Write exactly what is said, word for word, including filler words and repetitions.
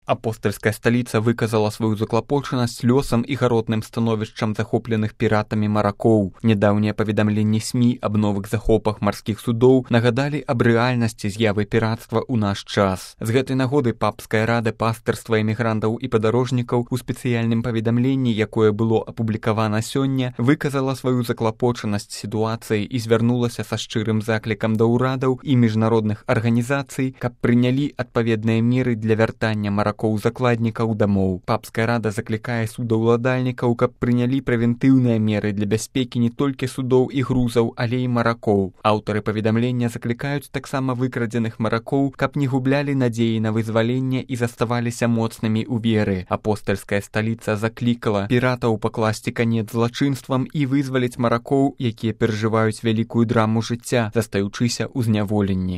Апостальская сталіца выказала сваю заклапочанасць лёсам і гаротным становішчам захопленых піратамі маракоў. Нядаўнія паведамленні СМІ аб новых захопах марскіх судоў нагадалі аб рэальнасці з'явы піратства ў наш час. З гэтай нагоды папская рада пастырства эмігрантаў і падарожнікаў у спецыяльным паведамленні, якое было апублікавана сёння, выказала сваю заклапочанасць сітуацыі і звярнулася са шчырым заклікам да ўрадаў і міжнародных арганізацый, каб прынялі адпаведныя меры для вяртання маракоў-закладнікаў дамоў. Папская рада заклікае судаўладальнікаў, каб прынялі прэвентыўныя меры для бяспекі не толькі судоў і грузаў, але і маракоў. Аўтары паведамлення заклікаюць таксама выкрадзеных маракоў, каб не гублялі надзеі на вызваленне і заставаліся моцнымі ў веры. Апостальская сталіца заклікала піратаў пакласці канец злачынствам і вызваліць маракоў, якія перажываюць вялікую драму жыцця, застаючыся ў зняволенні.